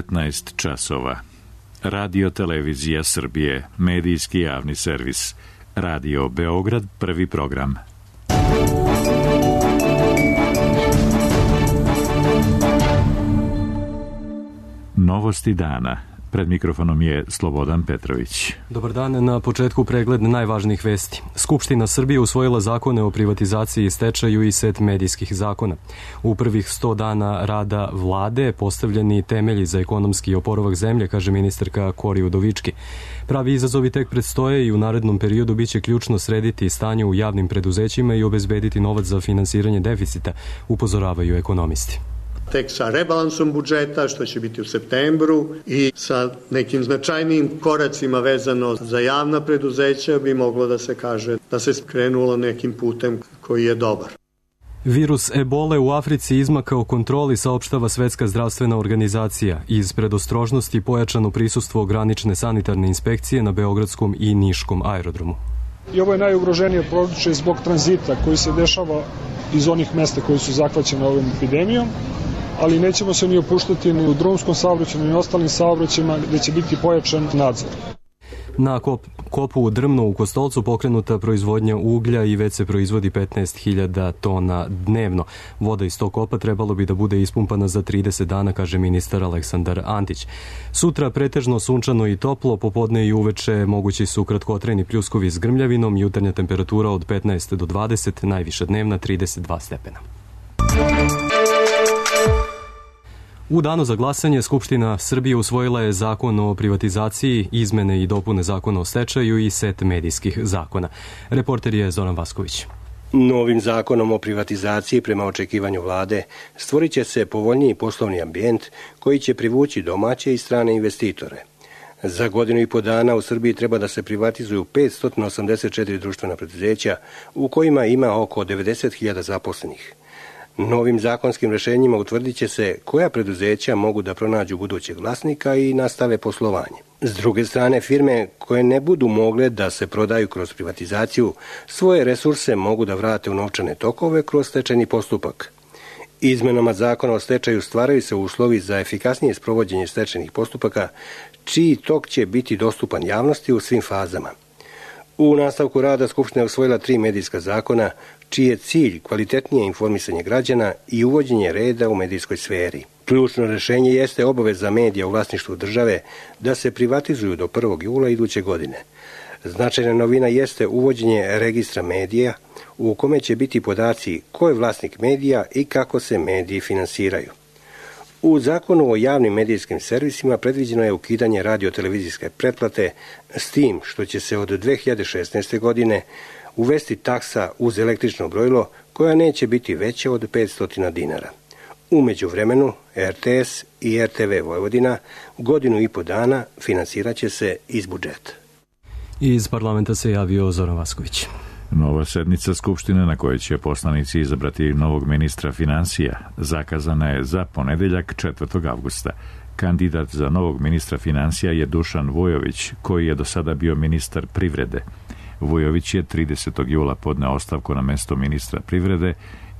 19 časova. Radio Televizija Srbije, medijski javni servis. Radio Beograd, prvi program. Novosti dana. Pred mikrofonom je Slobodan Petrović. Dobar dan, na početku pregled najvažnijih vesti. Skupština Srbije usvojila zakone o privatizaciji i stečaju i set medijskih zakona. U prvih 100 dana rada vlade postavljeni temelji za ekonomski oporavak zemlje, kaže ministarka Kori Udovički. Pravi izazovi tek predstoje i u narednom periodu biće ključno srediti stanje u javnim preduzećima i obezbediti novac za finansiranje deficita, upozoravaju ekonomisti. Tek sa rebalansom budžeta, što će biti u septembru, i sa nekim značajnijim koracima vezano za javna preduzeća bi moglo da se kaže da se skrenulo nekim putem koji je dobar. Virus ebole u Africi izmakao kontroli, saopštava Svetska zdravstvena organizacija. Iz predostrožnosti pojačano prisustvo granične sanitarne inspekcije na Beogradskom i Niškom aerodromu. I ovo je najugroženije područje zbog tranzita koji se dešava iz onih mesta koji su zahvaćene ovom epidemijom, ali nećemo se ni opuštati ni u drumskom saobraćaju, ni ostalim saobraćajima gde će biti pojačan nadzor. Na kopu Drmno u Kostolcu pokrenuta proizvodnja uglja i već se proizvodi 15.000 tona dnevno. Voda iz tog kopa trebalo bi da bude ispumpana za 30 dana, kaže ministar Aleksandar Antić. Sutra pretežno sunčano i toplo, popodne i uveče mogući su kratkotrajni pljuskovi s grmljavinom, jutarnja temperatura od 15 do 20, najviša dnevna 32 stepena. U danu za glasanje Skupština Srbije usvojila je zakon o privatizaciji, izmene i dopune zakona o stečaju i set medijskih zakona. Reporter je Zoran Vasković. Novim zakonom o privatizaciji, prema očekivanju vlade, stvorit će se povoljniji poslovni ambijent koji će privući domaće i strane investitore. Za godinu i po dana u Srbiji treba da se privatizuju 584 društvena preduzeća u kojima ima oko 90.000 zaposlenih. Novim zakonskim rešenjima utvrdit će se koja preduzeća mogu da pronađu budućeg vlasnika i nastave poslovanje. S druge strane, firme koje ne budu mogle da se prodaju kroz privatizaciju, svoje resurse mogu da vrate u novčane tokove kroz stečajni postupak. Izmenama zakona o stečaju stvaraju se uslovi za efikasnije sprovođenje stečajnih postupaka, čiji tok će biti dostupan javnosti u svim fazama. U nastavku rada Skupština je usvojila 3 medijska zakona, čiji je cilj kvalitetnije informisanje građana i uvođenje reda u medijskoj sferi. Ključno rešenje jeste obaveza medija u vlasništvu države da se privatizuju do 1. jula iduće godine. Značajna novina jeste uvođenje registra medija u kome će biti podaci ko je vlasnik medija i kako se mediji finansiraju. U zakonu o javnim medijskim servisima predviđeno je ukidanje radio-televizijske pretplate s tim što će se od 2016. godine uvesti taksa uz električno brojilo koja neće biti veća od 500 dinara. U međuvremenu RTS i RTV Vojvodina godinu i po dana finansirat će se iz budžeta. Iz parlamenta se javio Zoran Vasković. Nova sednica Skupštine na kojoj će poslanici izabrati novog ministra finansija zakazana je za ponedeljak 4. avgusta. Kandidat za novog ministra finansija je Dušan Vujović, koji je do sada bio ministar privrede. Vujović je 30. jula podneo ostavku na mesto ministra privrede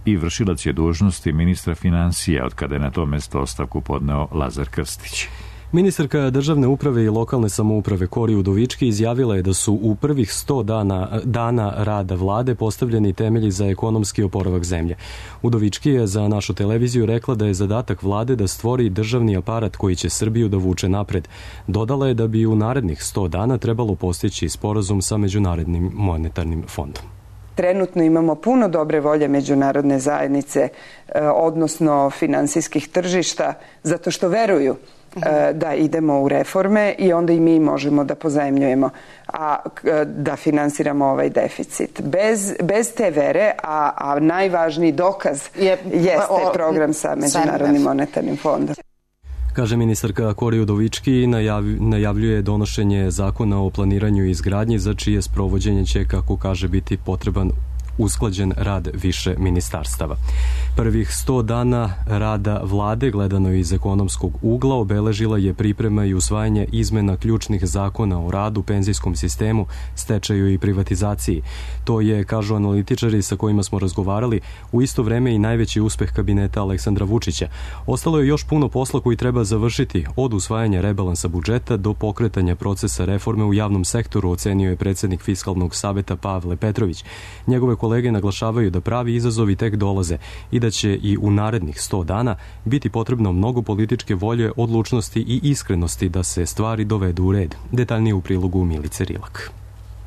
i vršilac je dužnosti ministra finansija od kada je na to mesto ostavku podneo Lazar Krstić. Ministarka državne uprave i lokalne samouprave Kori Udovički izjavila je da su u prvih 100 dana rada vlade postavljeni temelji za ekonomski oporavak zemlje. Udovički je za našu televiziju rekla da je zadatak vlade da stvori državni aparat koji će Srbiju da vuče napred. Dodala je da bi u narednih 100 dana trebalo postići sporazum sa Međunarodnim monetarnim fondom. Trenutno imamo puno dobre volje međunarodne zajednice, odnosno finansijskih tržišta, zato što veruju da idemo u reforme i onda i mi možemo da pozajmljujemo, a da finansiramo ovaj deficit. Bez te vere, a najvažniji dokaz jeste program sa Međunarodnim monetarnim fondom. Kaže ministarka Kori Udovički i najavljuje donošenje zakona o planiranju i izgradnji za čije sprovođenje će, kako kaže, biti potreban usklađen rad više ministarstava. Prvih 100 dana rada vlade, gledano iz ekonomskog ugla, obeležila je priprema i usvajanje izmena ključnih zakona o radu, penzijskom sistemu, stečaju i privatizaciji. To je, kažu analitičari sa kojima smo razgovarali, u isto vreme i najveći uspeh kabineta Aleksandra Vučića. Ostalo je još puno posla koji treba završiti, od usvajanja rebalansa budžeta do pokretanja procesa reforme u javnom sektoru, ocenio je predsjednik Fiskalnog saveta Pavle Petrović. Njegove kolege naglašavaju da pravi izazovi tek dolaze i da će i u narednih 100 dana biti potrebno mnogo političke volje, odlučnosti i iskrenosti da se stvari dovedu u red. Detaljnije u prilogu Milice Rilak.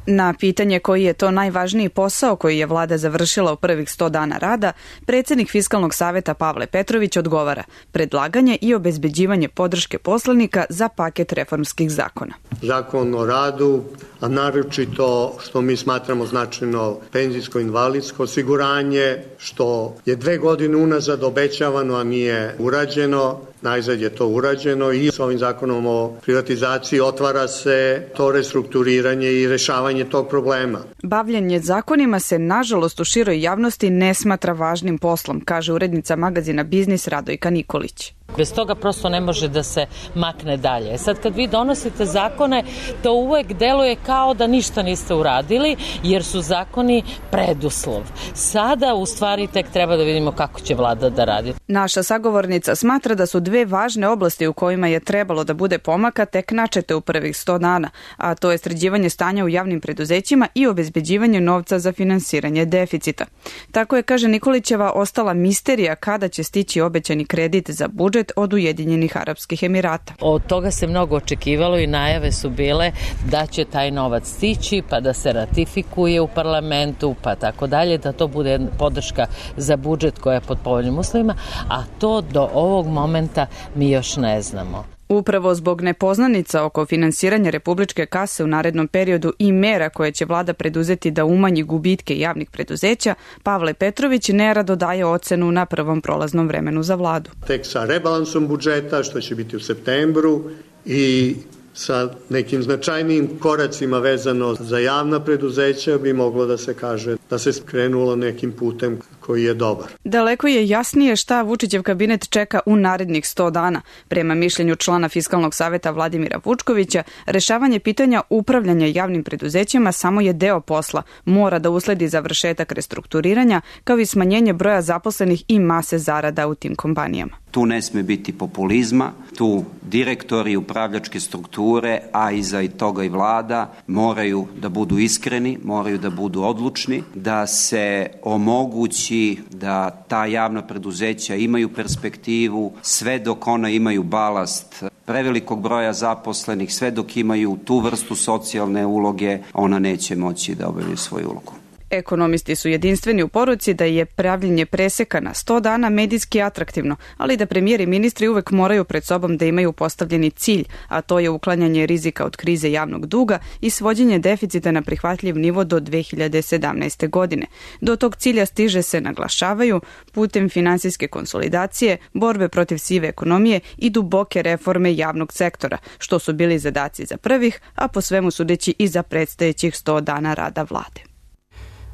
Na pitanje koji je to najvažniji posao koji je vlada završila u prvih 100 dana rada, predsjednik Fiskalnog saveta Pavle Petrović odgovara: predlaganje i obezbeđivanje podrške poslanika za paket reformskih zakona. Zakon o radu, a naročito što mi smatramo značajno penzijsko-invalidsko osiguranje, što je 2 godine unazad obećavano, a nije urađeno. Najzad je to urađeno i s ovim zakonom o privatizaciji otvara se to restrukturiranje i rešavanje tog problema. Bavljenje zakonima se, nažalost, u široj javnosti ne smatra važnim poslom, kaže urednica magazina Biznis Radojka Nikolić. Bez toga prosto ne može da se makne dalje. Sad kad vi donosite zakone, to uvek deluje kao da ništa niste uradili, jer su zakoni preduslov. Sada u stvari tek treba da vidimo kako će vlada da radi. Naša sagovornica smatra da su 2 važne oblasti u kojima je trebalo da bude pomaka tek načete u prvih 100 dana, a to je sređivanje stanja u javnim preduzećima i obezbeđivanje novca za finansiranje deficita. Tako je, kaže Nikolićeva, ostala misterija kada će stići obećani kredit za budžet od Ujedinjenih Arapskih Emirata. Od toga se mnogo očekivalo i najave su bile da će taj novac stići, pa da se ratifikuje u parlamentu, pa tako dalje, da to bude podrška za budžet koja je pod povoljnim uslovima, a to do ovog momenta mi još ne znamo. Upravo zbog nepoznanica oko finansiranja republičke kase u narednom periodu i mera koje će vlada preduzeti da umanji gubitke javnih preduzeća, Pavle Petrović nerado daje ocenu na prvom prolaznom vremenu za vladu. Tek sa rebalansom budžeta, što će biti u septembru, i sa nekim značajnijim koracima vezano za javna preduzeća bi moglo da se kaže da se krenulo nekim putem koji je dobar. Daleko je jasnije šta Vučićev kabinet čeka u narednih 100 dana. Prema mišljenju člana Fiskalnog saveta Vladimira Vučkovića, rešavanje pitanja upravljanja javnim preduzećima samo je deo posla. Mora da usledi završetak restrukturiranja, kao i smanjenje broja zaposlenih i mase zarada u tim kompanijama. Tu ne sme biti populizma, tu direktori, upravljačke strukture, a iza toga i vlada moraju da budu iskreni, moraju da budu odlučni, da se omogući da ta javna preduzeća imaju perspektivu, sve dok ona imaju balast prevelikog broja zaposlenih, sve dok imaju tu vrstu socijalne uloge, ona neće moći da obavlja svoju ulogu. Ekonomisti su jedinstveni u poruci da je pravljenje preseka na 100 dana medijski atraktivno, ali da premijer i ministri uvek moraju pred sobom da imaju postavljeni cilj, a to je uklanjanje rizika od krize javnog duga i svođenje deficita na prihvatljiv nivo do 2017. godine. Do tog cilja stiže se, naglašavaju, putem finansijske konsolidacije, borbe protiv sive ekonomije i duboke reforme javnog sektora, što su bili zadaci za prvih, a po svemu sudeći i za predstojećih 100 dana rada vlade.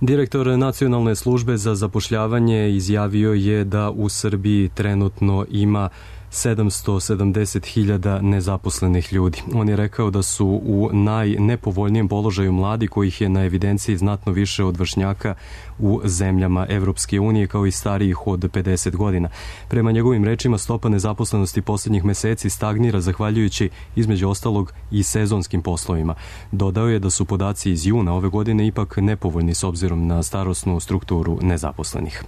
Direktor Nacionalne službe za zapošljavanje izjavio je da u Srbiji trenutno ima 770.000 nezaposlenih ljudi. On je rekao da su u najnepovoljnijem položaju mladi, kojih je na evidenciji znatno više od vršnjaka u zemljama Evropske unije, kao i starijih od 50 godina. Prema njegovim rečima, stopa nezaposlenosti posljednjih meseci stagnira zahvaljujući, između ostalog, i sezonskim poslovima. Dodao je da su podaci iz juna ove godine ipak nepovoljni s obzirom na starosnu strukturu nezaposlenih.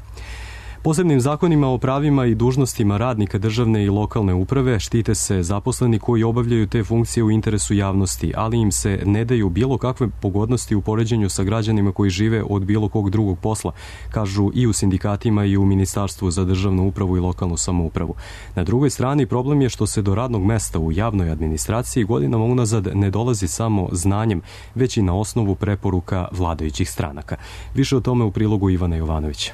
Posebnim zakonima o pravima i dužnostima radnika državne i lokalne uprave štite se zaposleni koji obavljaju te funkcije u interesu javnosti, ali im se ne daju bilo kakve pogodnosti u poređenju sa građanima koji žive od bilo kog drugog posla, kažu i u sindikatima i u Ministarstvu za državnu upravu i lokalnu samoupravu. Na drugoj strani, problem je što se do radnog mesta u javnoj administraciji godinama unazad ne dolazi samo znanjem, već i na osnovu preporuka vladajućih stranaka. Više o tome u prilogu Ivana Jovanovića.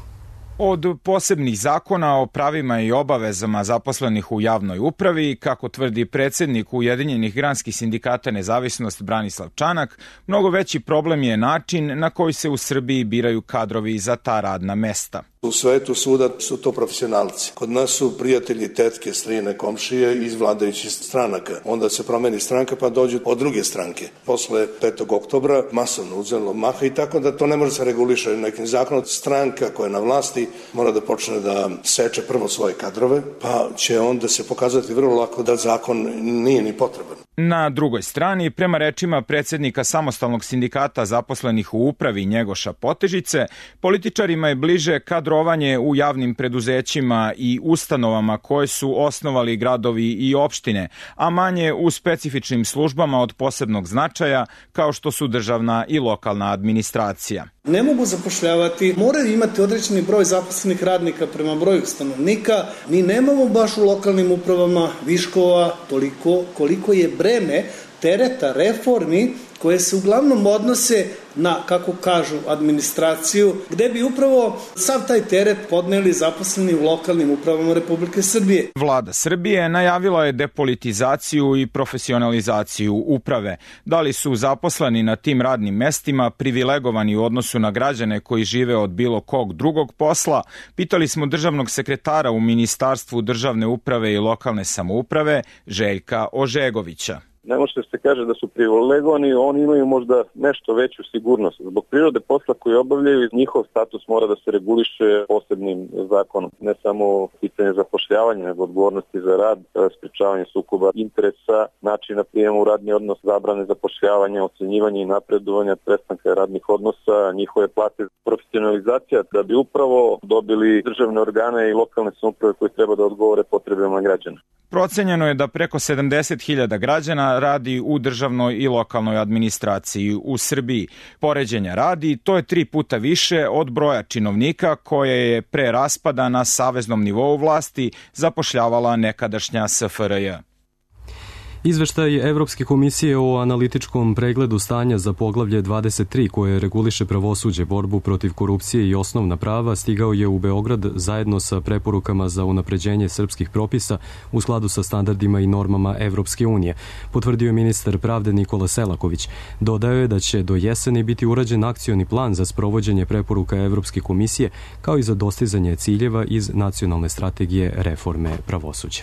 Od posebnih zakona o pravima i obavezama zaposlenih u javnoj upravi, kako tvrdi predsjednik Ujedinjenih granskih sindikata Nezavisnost Branislav Čanak, mnogo veći problem je način na koji se u Srbiji biraju kadrovi za ta radna mesta. U svetu svuda su to profesionalci. Kod nas su prijatelji, tetke, strine, komšije iz vladajućih stranaka. Onda se promeni stranka pa dođu od druge stranke. Posle 5. oktobra masovno uzelo maha i tako da to ne može se reguliše nekim zakonom. Stranka koja je na vlasti mora da počne da seče prvo svoje kadrove, pa će onda se pokazati vrlo lako da zakon nije ni potreban. Na drugoj strani, prema rečima predsjednika Samostalnog sindikata zaposlenih u upravi Njegoša Potežice, političarima je bliže kadrovanje u javnim preduzećima i ustanovama koje su osnovali gradovi i opštine, a manje u specifičnim službama od posebnog značaja kao što su državna i lokalna administracija. Ne mogu zapošljavati, moraju imati određeni broj zaposlenih radnika prema broju stanovnika. Mi nemamo baš u lokalnim upravama viškova toliko koliko je breme tereta reformi koje se uglavnom odnose na, kako kažu, administraciju, gde bi upravo sav taj teret podneli zaposleni u lokalnim upravama Republike Srbije. Vlada Srbije najavila je depolitizaciju i profesionalizaciju uprave. Da li su zaposleni na tim radnim mestima privilegovani u odnosu na građane koji žive od bilo kog drugog posla, pitali smo državnog sekretara u Ministarstvu državne uprave i lokalne samouprave Željka Ožegovića. Ne može se kaže da su privilegovani, oni imaju možda nešto veću sigurnost. Zbog prirode posla koji obavljaju, njihov status mora da se reguliše posebnim zakonom. Ne samo pitanje zapošljavanja, nego odgovornosti za rad, sprečavanje sukoba interesa, načina prijema u radni odnos, zabrane zapošljavanja, ocenjivanja i napredovanja, prestanka radnih odnosa, njihove plate, profesionalizacija, da bi upravo dobili državne organe i lokalne samouprave koji treba da odgovore potrebama građana. Procenjeno je da preko 70.000 građana radi u državnoj i lokalnoj administraciji u Srbiji. Poređenja radi, to je 3 puta više od broja činovnika koje je pre raspada na saveznom nivou vlasti zapošljavala nekadašnja SFRJ. Izveštaj Evropske komisije o analitičkom pregledu stanja za poglavlje 23 koje reguliše pravosuđe, borbu protiv korupcije i osnovna prava stigao je u Beograd zajedno sa preporukama za unapređenje srpskih propisa u skladu sa standardima i normama Evropske unije, potvrdio je ministar pravde Nikola Selaković. Dodao je da će do jeseni biti urađen akcioni plan za sprovođenje preporuka Evropske komisije kao i za dostizanje ciljeva iz nacionalne strategije reforme pravosuđa.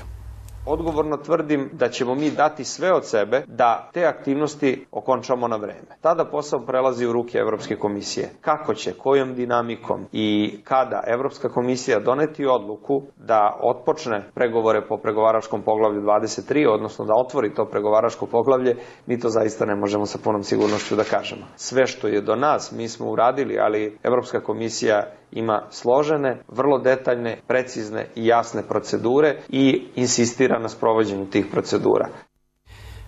Odgovorno tvrdim da ćemo mi dati sve od sebe da te aktivnosti okončamo na vreme. Tada posao prelazi u ruke Evropske komisije. Kako će, kojom dinamikom i kada Evropska komisija doneti odluku da otpočne pregovore po pregovaračkom poglavlju 23, odnosno da otvori to pregovaračko poglavlje, mi to zaista ne možemo sa punom sigurnošću da kažemo. Sve što je do nas mi smo uradili, ali Evropska komisija ima složene, vrlo detaljne, precizne i jasne procedure i insistira na sprovođenju tih procedura.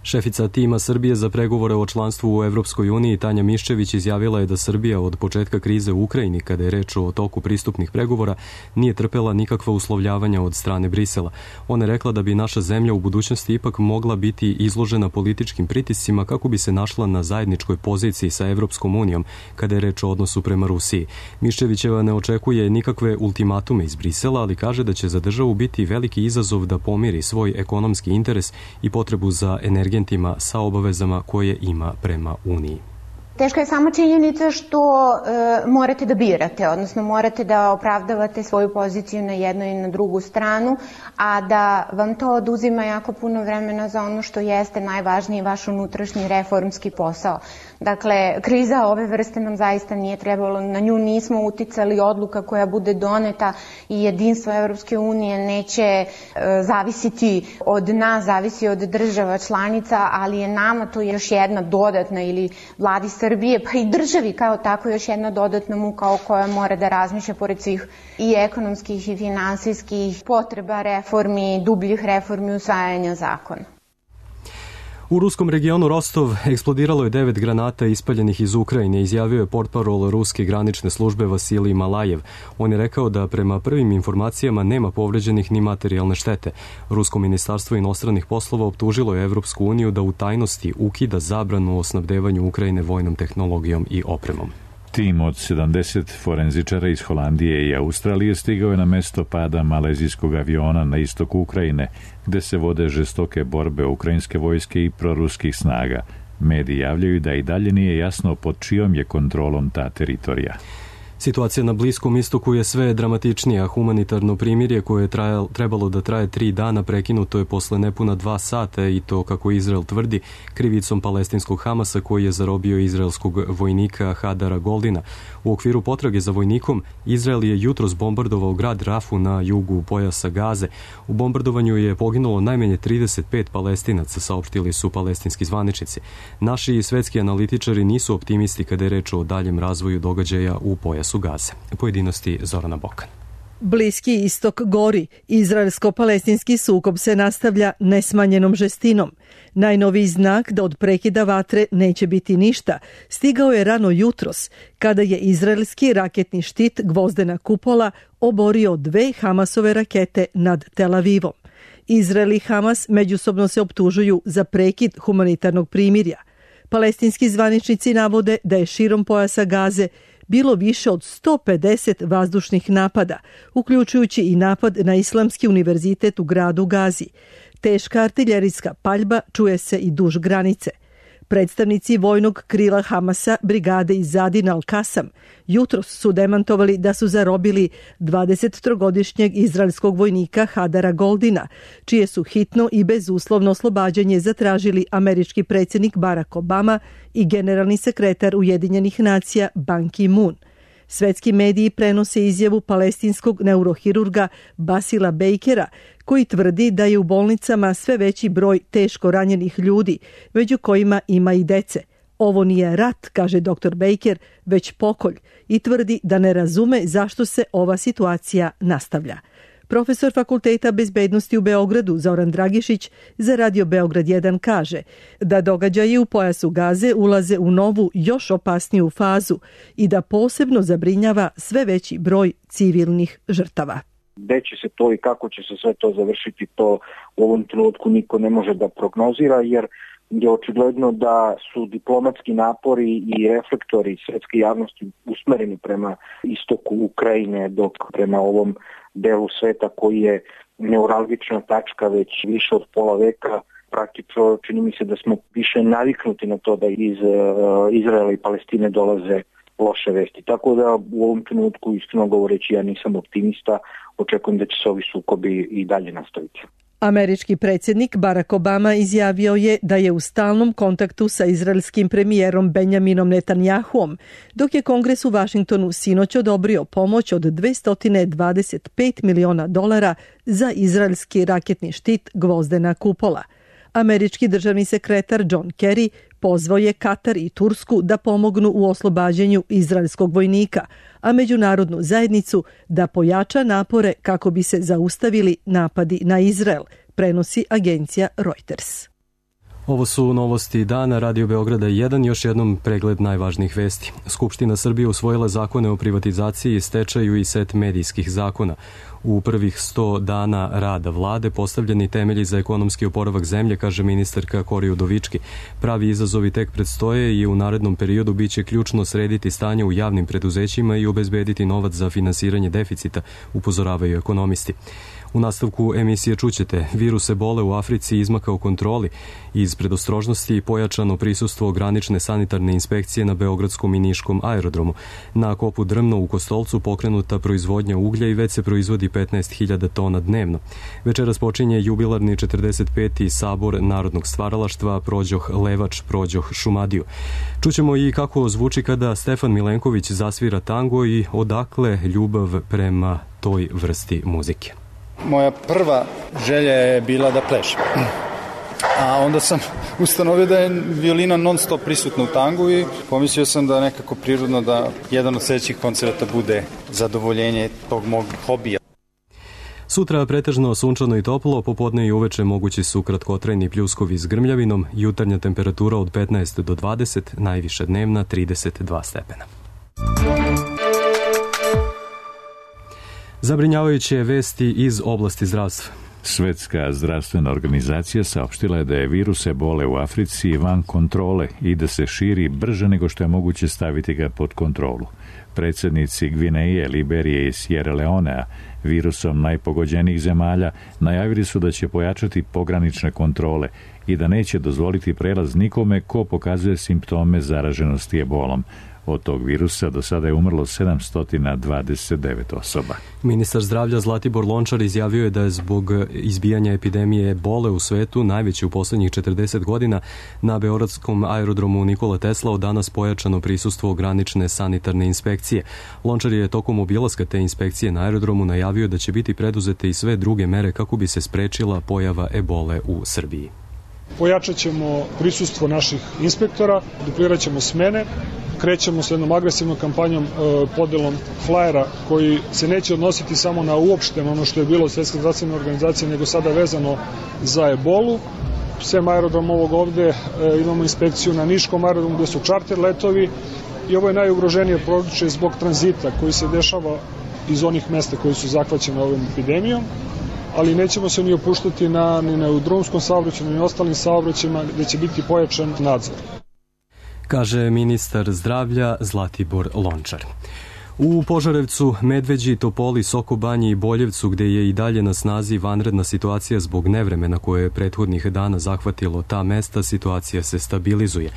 Šefica tima Srbije za pregovore o članstvu u Evropskoj uniji Tanja Miščević izjavila je da Srbija od početka krize u Ukrajini, kada je reč o toku pristupnih pregovora, nije trpela nikakva uslovljavanja od strane Brisela. Ona je rekla da bi naša zemlja u budućnosti ipak mogla biti izložena političkim pritiscima kako bi se našla na zajedničkoj poziciji sa Evropskom unijom kada je reč o odnosu prema Rusiji. Miščevićeva ne očekuje nikakve ultimatume iz Brisela, ali kaže da će za državu biti veliki izazov da pomiri svoj ekonomski interes i potrebu za energentima sa obavezama koje ima prema Uniji. Teška je samo činjenica što morate da birate, odnosno morate da opravdavate svoju poziciju na jednu i na drugu stranu, a da vam to oduzima jako puno vremena za ono što jeste najvažniji vaš unutrašnji reformski posao. Dakle, kriza ove vrste nam zaista nije trebalo, na nju nismo uticali, odluka koja bude doneta i jedinstvo Evropske unije neće zavisiti od nas, zavisi od država članica, ali je nama to još jedna dodatna ili vladi Srbije, pa i državi kao tako još jedna dodatna muka o kojoj mora da razmišlja pored svih i ekonomskih i finansijskih potreba reformi, dubljih reformi usvajanja zakona. U ruskom regionu Rostov eksplodiralo je 9 granata ispaljenih iz Ukrajine, izjavio je portparol ruske granične službe Vasilij Malajev. On je rekao da prema prvim informacijama nema povređenih ni materijalne štete. Rusko ministarstvo inostranih poslova optužilo je Evropsku uniju da u tajnosti ukida zabranu o snabdevanju Ukrajine vojnom tehnologijom i opremom. Tim od 70 forenzičara iz Holandije i Australije stigao je na mesto pada malezijskog aviona na istoku Ukrajine, gde se vode žestoke borbe ukrajinske vojske i proruskih snaga. Mediji javljaju da i dalje nije jasno pod čijom je kontrolom ta teritorija. Situacija na Bliskom istoku je sve dramatičnija. Humanitarno primirje koje je trebalo da traje 3 dana prekinuto je posle nepuna 2 sata i to, kako Izrael tvrdi, krivicom palestinskog Hamasa koji je zarobio izraelskog vojnika Hadara Goldina. U okviru potrage za vojnikom, Izrael je jutros bombardovao grad Rafu na jugu pojasa Gaze. U bombardovanju je poginulo najmanje 35 Palestinaca, saopštili su palestinski zvaničnici. Naši i svetski analitičari nisu optimisti kada je reč o daljem razvoju događaja u pojasu Gaze. Pojedinosti Zorana Bokan. Bliski istok gori. Izraelsko-palestinski sukob se nastavlja nesmanjenom žestinom. Najnoviji znak da od prekida vatre neće biti ništa stigao je rano jutros, kada je izraelski raketni štit Gvozdena kupola oborio 2 Hamasove rakete nad Tel Avivom. Izrael i Hamas međusobno se optužuju za prekid humanitarnog primirja. Palestinski zvaničnici navode da je širom pojasa Gaze bilo više od 150 vazdušnih napada, uključujući i napad na Islamski univerzitet u gradu Gazi. Teška artiljerijska paljba čuje se i duž granice. Predstavnici vojnog krila Hamasa, brigade Izadin al-Kasam, jutros su demantovali da su zarobili 23-godišnjeg izraelskog vojnika Hadara Goldina, čije su hitno i bezuslovno oslobađanje zatražili američki predsjednik Barack Obama i generalni sekretar Ujedinjenih nacija Ban Ki-moon. Svetski mediji prenose izjavu palestinskog neurohirurga Basila Bakera, koji tvrdi da je u bolnicama sve veći broj teško ranjenih ljudi, među kojima ima i dece. Ovo nije rat, kaže dr. Baker, već pokolj, i tvrdi da ne razume zašto se ova situacija nastavlja. Profesor Fakulteta bezbednosti u Beogradu Zoran Dragišić za Radio Beograd 1 kaže da događaji u pojasu Gaze ulaze u novu, još opasniju fazu i da posebno zabrinjava sve veći broj civilnih žrtava. Gde će se to i kako će se sve to završiti, to u ovom trenutku niko ne može da prognozira, jer je očigledno da su diplomatski napori i reflektori svetske javnosti usmereni prema istoku Ukrajine, dok prema ovom delu sveta koji je neuralgična tačka već više od pola veka, praktično čini mi se da smo više naviknuti na to da iz Izraela i Palestine dolaze loše vesti. Tako da u ovom trenutku, iskreno govoreći, ja nisam optimista, očekujem da će se ovi sukobi i dalje nastaviti. Američki predsjednik Barack Obama izjavio je da je u stalnom kontaktu sa izraelskim premijerom Benjaminom Netanjahuom, dok je Kongres u Vašingtonu sinoć odobrio pomoć od $225 miliona za izraelski raketni štit Gvozdena kupola. Američki državni sekretar John Kerry pozvao je Katar i Tursku da pomognu u oslobađanju izraelskog vojnika, a međunarodnu zajednicu da pojača napore kako bi se zaustavili napadi na Izrael, prenosi agencija Reuters. Ovo su novosti dana Radio Beograda 1, još jednom pregled najvažnijih vesti. Skupština Srbije usvojila zakone o privatizaciji, stečaju i set medijskih zakona. U prvih 100 dana rada vlade postavljeni temelji za ekonomski oporavak zemlje, kaže ministarka Kori Udovički. Pravi izazovi tek predstoje i u narednom periodu biće ključno srediti stanje u javnim preduzećima i obezbediti novac za finansiranje deficita, upozoravaju ekonomisti. U nastavku emisije čućete, virus ebole u Africi izmakao kontroli. Iz predostrožnosti pojačano prisustvo granične sanitarne inspekcije na Beogradskom i Niškom aerodromu. Na kopu Drmno u Kostolcu pokrenuta proizvodnja uglja i već se proizvodi 15.000 tona dnevno. Večeras počinje jubilarni 45. sabor Narodnog stvaralaštva Prođoh Levač, Prođoh Šumadiju. Čućemo i kako zvuči kada Stefan Milenković zasvira tango i odakle ljubav prema toj vrsti muzike. Moja prva želja je bila da plešem. A onda sam ustanovio da je violina non stop prisutna u tangu i pomislio sam da nekako prirodno da jedan od sljedećih koncerta bude zadovoljenje tog mog hobija. Sutra pretežno sunčano i toplo, popodne i uveče mogući su kratkotrajni pljuskovi s grmljavinom, jutarnja temperatura od 15 do 20, najviša dnevna 32 stepena. Zabrinjavajuće vesti iz oblasti zdravstva. Svetska zdravstvena organizacija saopštila je da je virus ebole u Africi van kontrole i da se širi brže nego što je moguće staviti ga pod kontrolu. Predsjednici Gvineje, Liberije i Sierra Leonea, virusom najpogođenijih zemalja, najavili su da će pojačati pogranične kontrole i da neće dozvoliti prelaz nikome ko pokazuje simptome zaraženosti ebolom. Od tog virusa do sada je umrlo 729 osoba. Ministar zdravlja Zlatibor Lončar izjavio je da je zbog izbijanja epidemije ebole u svetu, najveće u posljednjih 40 godina, na beogradskom aerodromu Nikola Tesla od danas pojačano prisustvo granične sanitarne inspekcije. Lončar je tokom obilaska te inspekcije na aerodromu najavio da će biti preduzete i sve druge mere kako bi se sprečila pojava ebole u Srbiji. Pojačat ćemo prisustvo naših inspektora, duplirat ćemo smene, krećemo s jednom agresivnom kampanjom podelom flajera koji se neće odnositi samo na uopšteno ono što je bilo od Svetske zdravstvene organizacije, nego sada vezano za ebolu. Sem aerodrom ovog ovde imamo inspekciju na Niškom aerodromu gde su čarter letovi i ovo je najugroženije područje zbog tranzita koji se dešava iz onih mesta koji su zahvaćene ovom epidemijom, ali nećemo se ni opuštati ni na drumskom saobraćaju, ni ostalim saobraćajima gde će biti pojačan nadzor, kaže ministar zdravlja Zlatibor Lončar. U Požarevcu, Medveđi, Topoli, Sokobanji i Boljevcu, gde je i dalje na snazi vanredna situacija zbog nevremena koje je prethodnih dana zahvatilo ta mesta, situacija se stabilizuje.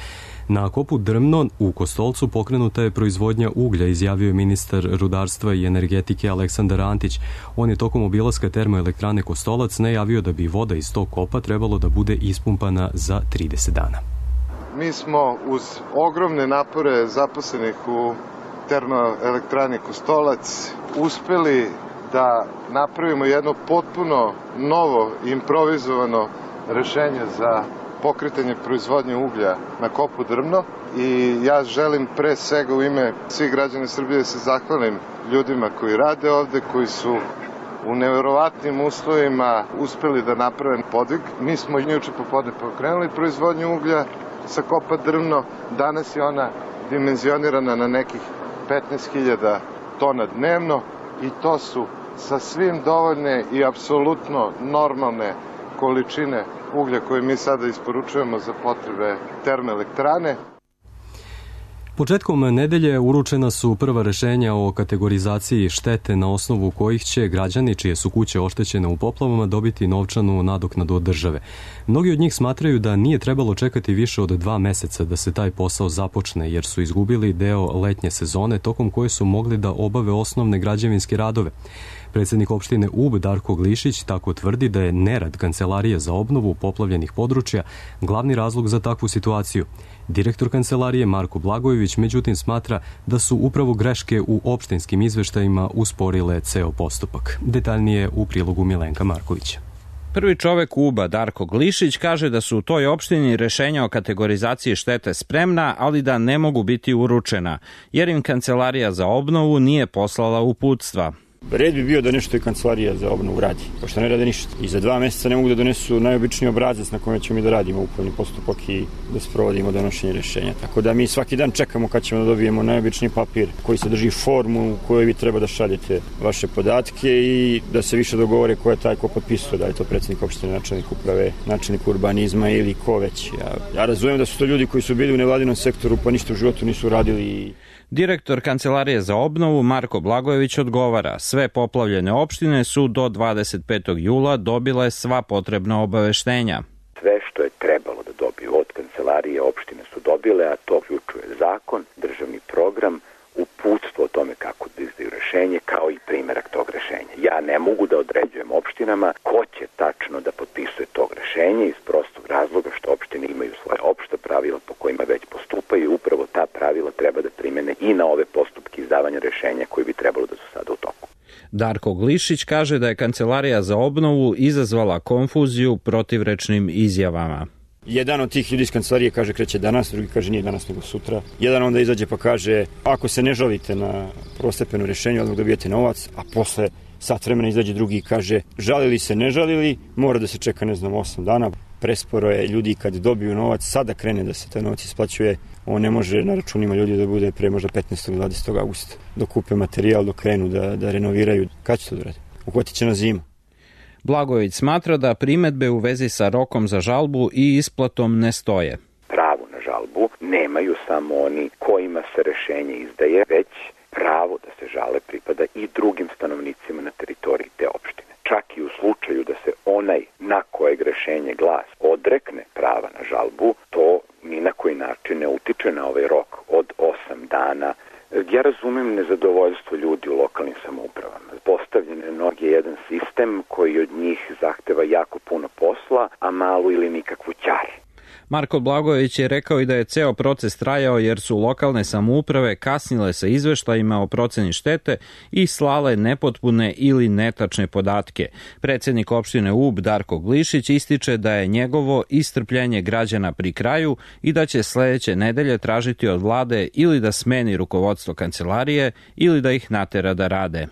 Na kopu Drmno u Kostolcu pokrenuta je proizvodnja uglja, izjavio je ministar rudarstva i energetike Aleksandar Antić. On je tokom obilaska termoelektrane Kostolac najavio da bi voda iz tog kopa trebalo da bude ispumpana za 30 dana. Mi smo uz ogromne napore zaposlenih u termoelektrani Kostolac uspeli da napravimo jedno potpuno novo improvizovano rešenje za pokretanje proizvodnje uglja na kopu Drmno i ja želim pre svega u ime svih građana Srbije da se zahvalim ljudima koji rade ovde, koji su u neverovatnim uslovima uspeli da naprave podvig. Mi smo juče popodne pokrenuli proizvodnju uglja sa kopa Drmno. Danas je ona dimenzionirana na nekih 15.000 tona dnevno i to su sasvim dovoljne i apsolutno normalne količine uglja koje mi sada isporučujemo za potrebe termoelektrane. Početkom nedelje uručena su prva rešenja o kategorizaciji štete na osnovu kojih će građani čije su kuće oštećene u poplavama dobiti novčanu nadoknadu od države. Mnogi od njih smatraju da nije trebalo čekati više od 2 meseca da se taj posao započne, jer su izgubili deo letnje sezone tokom koje su mogli da obave osnovne građevinske radove. Predsjednik opštine Ub Darko Glišić tako tvrdi da je nerad Kancelarije za obnovu poplavljenih područja glavni razlog za takvu situaciju. Direktor Kancelarije Marko Blagojević međutim smatra da su upravo greške u opštinskim izveštajima usporile ceo postupak. Detaljnije u prilogu Milenka Markovića. Prvi čovek Uba, Darko Glišić, kaže da su u toj opštini rešenja o kategorizaciji štete spremna, ali da ne mogu biti uručena, jer im Kancelarija za obnovu nije poslala uputstva. Red bi bio da nešto i Kancelarija za obnovu radi, pošto ne rade ništa. I za 2 meseca ne mogu da donesu najobičniji obrazac na kojem ćemo mi da radimo upravni postupak i da sprovodimo donošenje rešenja. Tako da mi svaki dan čekamo kad ćemo da dobijemo najobičniji papir koji sadrži formu u kojoj vi treba da šaljete vaše podatke i da se više dogovore ko je taj ko potpisuje, da je to predsjednik opštine, načelnik uprave, načelnik urbanizma ili ko već. Ja razumijem da su to ljudi koji su bili u nevladinom sektoru pa ništa u životu nisu radili. Direktor Kancelarije za obnovu Marko Blagojević odgovara, sve poplavljene opštine su do 25. jula dobile sva potrebna obaveštenja. Sve što je trebalo da dobiju od Kancelarije opštine su dobile, a to uključuje zakon, državni program, uputstvo o tome kako da izdaju rešenje, kao i primerak tog rešenja. Ja ne mogu da određujem opštinama ko će tačno da potpisuje tog rešenja iz prostog razloga što opštine imaju svoje opšta pravila po kojima već postupaju i upravo ta pravila treba da primene i na ove postupke izdavanja rešenja koji bi trebalo da su sada u toku. Darko Glišić kaže da je Kancelarija za obnovu izazvala konfuziju protivrečnim izjavama. Jedan od tih ljudi iz Kancelarije kaže kreće danas, drugi kaže nije danas nego sutra. Jedan onda izađe pa kaže ako se ne žalite na prvostepeno rešenje, odmah dobijete novac, a posle sat vremena izađe drugi i kaže žalili se, ne žalili, mora da se čeka 8 dana. Presporo je ljudi kad dobiju novac, sada krene da se taj novac isplaćuje, on ne može na računima ljudi da bude pre možda 15. 20. augusta. Dok kupe materijal, dok krenu da renoviraju, kad će to da radi? Uhvatit će na zimu. Blagojević smatra da primedbe u vezi sa rokom za žalbu i isplatom ne stoje. Pravo na žalbu nemaju samo oni kojima se rešenje izdaje, već pravo da se žale pripada i drugim stanovnicima na teritoriji te opštine. Čak i u slučaju da se onaj na kojeg rešenje glas odrekne prava na žalbu, to ni na koji način ne utiče na ovaj rok od 8 dana. Ja razumem nezadovoljstvo ljudi u lokalnim samoupravama. Postavljen je jedan sistem koji od njih zahteva jako puno posla, a malu ili nikakvu ćar. Marko Blagojević je rekao i da je ceo proces trajao jer su lokalne samouprave kasnile sa izveštajima o proceni štete i slale nepotpune ili netačne podatke. Predsednik opštine Ub Darko Glišić ističe da je njegovo istrpljenje građana pri kraju i da će sledeće nedelje tražiti od vlade ili da smeni rukovodstvo kancelarije ili da ih natera da rade.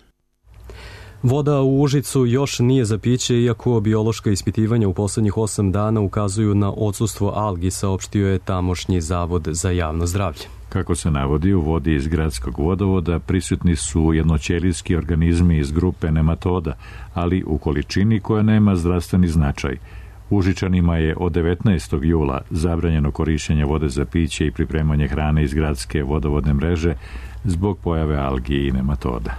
Voda u Užicu još nije za piće, iako biološka ispitivanja u poslednjih 8 dana ukazuju na odsustvo algi, saopštio je tamošnji Zavod za javno zdravlje. Kako se navodi, u vodi iz gradskog vodovoda prisutni su jednoćelijski organizmi iz grupe nematoda, ali u količini koja nema zdravstveni značaj. Užičanima je od 19. jula zabranjeno korišćenje vode za piće i pripremanje hrane iz gradske vodovodne mreže zbog pojave algi i nematoda.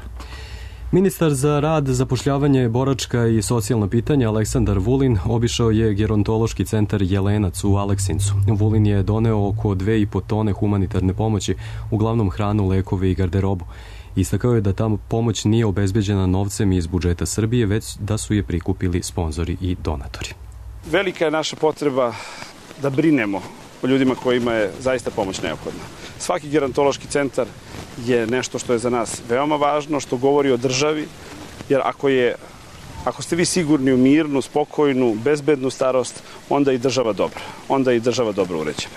Ministar za rad, zapošljavanje, boračka i socijalna pitanja Aleksandar Vulin obišao je gerontološki centar Jelenac u Aleksincu. Vulin je doneo oko 2,5 tone humanitarne pomoći, uglavnom hranu, lekove i garderobu. Istakao je da ta pomoć nije obezbeđena novcem iz budžeta Srbije, već da su je prikupili sponzori i donatori. Velika je naša potreba da brinemo o ljudima kojima je zaista pomoć neophodna. Svaki gerontološki centar je nešto što je za nas veoma važno, što govori o državi, jer ako ste vi sigurni u mirnu, spokojnu, bezbednu starost, onda je i država dobra, onda je i država dobro uređena.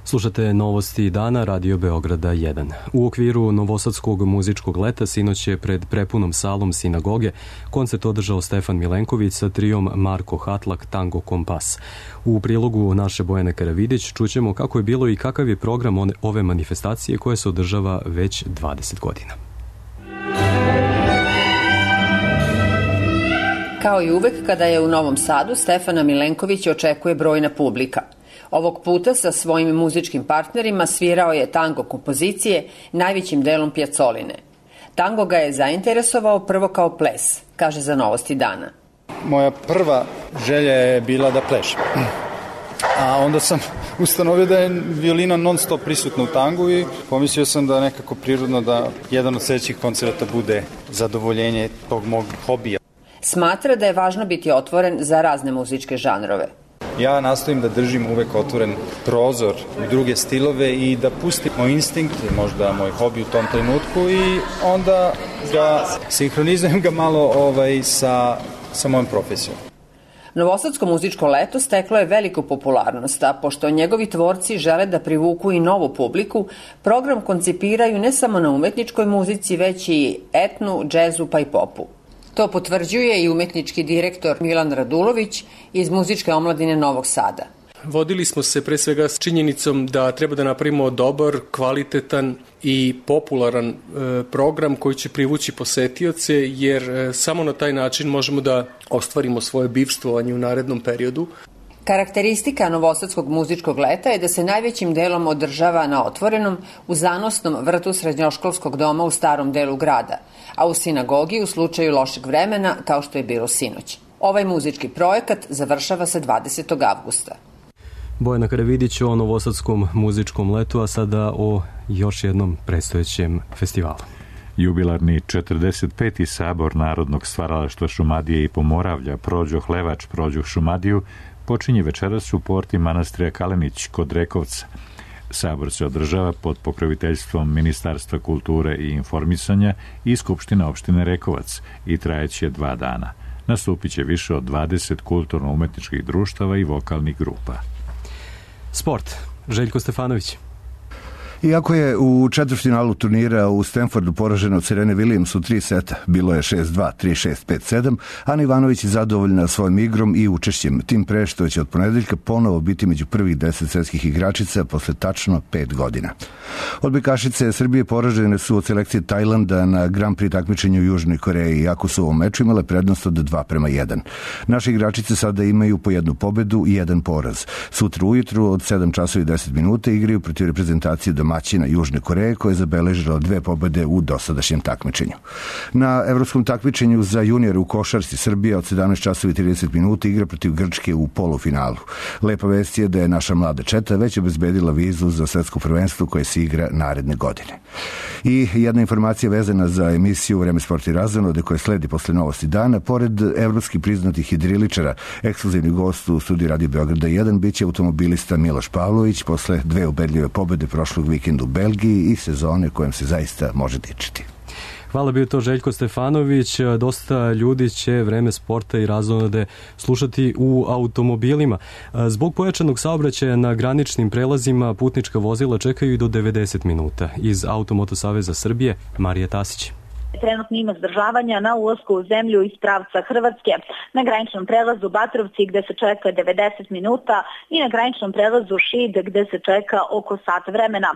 Slušate novosti dana Radio Beograda 1. U okviru Novosadskog muzičkog leta sinoć je pred prepunom salom sinagoge koncert održao Stefan Milenković sa trijom Marko Hatlak Tango Kompas. U prilogu naše Bojane Karavidić čućemo kako je bilo i kakav je program ove manifestacije koja se održava već 20 godina. Kao i uvek kada je u Novom Sadu, Stefana Milenković očekuje brojna publika. Ovog puta sa svojim muzičkim partnerima svirao je tango kompozicije, najvećim delom Pjacoline. Tango ga je zainteresovao prvo kao ples, kaže za Novosti dana. Moja prva želja je bila da plešem. A onda sam ustanovio da je violina non stop prisutna u tangu i pomislio sam da nekako prirodno da jedan od sledećih koncerta bude zadovoljenje tog mog hobija. Smatra da je važno biti otvoren za razne muzičke žanrove. Ja nastojim da držim uvek otvoren prozor u druge stilove i da pustim moj instinkt, možda moj hobi u tom trenutku i onda ga sinhronizujem ga malo sa mojom profesijom. Novosadsko muzičko leto steklo je veliku popularnost, a pošto njegovi tvorci žele da privuku i novu publiku, program koncipiraju ne samo na umetničkoj muzici, već i etnu, džezu pa i popu. To potvrđuje i umetnički direktor Milan Radulović iz muzičke omladine Novog Sada. Vodili smo se pre svega s činjenicom da treba da napravimo dobar, kvalitetan i popularan program koji će privući posetioce, jer samo na taj način možemo da ostvarimo svoje bivstvovanje u narednom periodu. Karakteristika Novosadskog muzičkog leta je da se najvećim delom održava na otvorenom, u zanosnom vrtu srednjoškolskog doma u starom delu grada, a u sinagogi u slučaju lošeg vremena, kao što je bilo sinoć. Ovaj muzički projekat završava se 20. avgusta. Bojana Karavidić o Novosadskom muzičkom letu, a sada o još jednom predstojećem festivalu. Jubilarni 45. sabor Narodnog stvaralaštva Šumadije i Pomoravlja Prođoh Levač, Prođoh Šumadiju počinje večeras u porti manastira Kalenić kod Rekovca. Sabor se održava pod pokroviteljstvom Ministarstva kulture i informisanja i Skupština opštine Rekovac i trajeće 2 dana. Nastupit će više od 20 kulturno-umetničkih društava i vokalnih grupa. Sport. Željko Stefanović. Iako je u četvrtfinalu turnira u Stanfordu poraženo od Serene Williams u 3 seta, bilo je 6-2, 3-6, 5-7, Ana Ivanović je zadovoljna svojim igrom i učešćem, tim pre što će od ponedeljka ponovo biti među prvih 10 svetskih igračica posle tačno 5 godina. Odbojkašice Srbije poražene su od selekcije Tajlanda na Grand Prix takmičenju u Južnoj Koreji, iako su u ovom meču imale prednost od 2:1. Naše igračice sada imaju po 1 pobedu i 1 poraz. Sutra ujutru od 7 časova i 10 minuta igraju protiv reprezentacije domaćina Južne Koreje, koja je zabeležila 2 pobede u dosadašnjem takmičenju. Na evropskom takmičenju za juniore u košarci Srbija od 17 časova i 30 minuta igra protiv Grčke u polufinalu. Lepa vest je da je naša mlada četa već obezbedila vizu za svetsko prvenstvo koje se igra naredne godine. I jedna informacija vezana za emisiju Vreme, sport i razonode koje sledi posle novosti dana. Pored evropski priznatih hidriličara, ekskluzivni gost u studiju Radio Beograda 1 biće automobilista Miloš Pavlović posle 2 ubedljive pobede prošlog vikenda u Belgiji i sezone kojem se zaista može dičiti. Hvala, bio to Željko Stefanović. Dosta ljudi će Vreme, sporta i razonode slušati u automobilima. Zbog pojačanog saobraćaja na graničnim prelazima putnička vozila čekaju i do 90 minuta. Iz Automoto Saveza Srbije, Marija Tasić. Trenutno ima zadržavanja na ulasku u zemlju iz pravca Hrvatske, na graničnom prelazu Batrovci gde se čeka 90 minuta i na graničnom prelazu Šid gde se čeka oko sat vremena.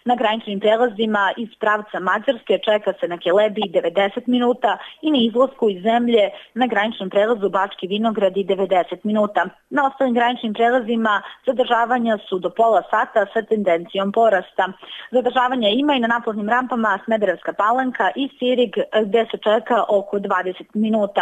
Na graničnim prelazima iz pravca Mađarske čeka se na Kelebiji 90 minuta i na izlasku iz zemlje na graničnom prelazu Bački Vinogradi 90 minuta. Na ostalim graničnim prelazima zadržavanja su do pola sata sa tendencijom porasta. Zadržavanja ima i na naplatnim rampama Smederevska Palanka i Sirig gde se čeka oko 20 minuta.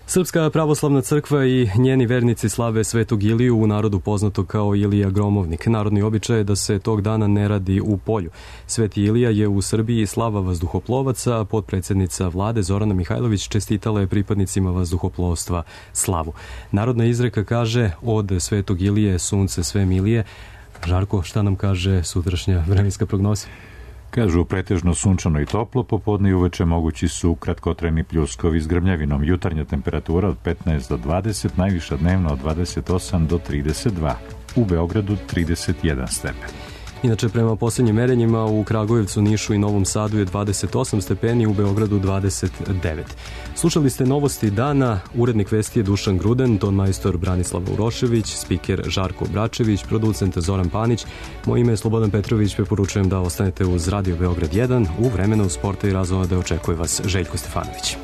Srpska pravoslavna crkva i njeni vernici slave Svetog Iliju, u narodu poznato kao Ilija Gromovnik. Narodni običaj je da se tog dana ne radi u polju. Sveti Ilija je u Srbiji slava vazduhoplovaca, potpredsednica vlade Zorana Mihajlović čestitala je pripadnicima vazduhoplovstva slavu. Narodna izreka kaže od Svetog Ilije sunce sve milije. Žarko, šta nam kaže sutrašnja vremenska prognoza? Kažu pretežno sunčano i toplo, popodne i uveče mogući su kratkotrajni pljuskovi s grmljavinom. Jutarnja temperatura od 15 do 20, najviša dnevna od 28 do 32. U Beogradu 31 stepen. Inače, prema posljednjim merenjima u Kragujevcu, Nišu i Novom Sadu je 28 stepeni, u Beogradu 29. Slušali ste novosti dana, urednik vesti je Dušan Gruden, ton majstor Branislav Urošević, spiker Žarko Bračević, producent Zoran Panić. Moje ime je Slobodan Petrović, preporučujem da ostanete uz Radio Beograd 1. U vremenu sporta i razonode očekuje vas Željko Stefanović.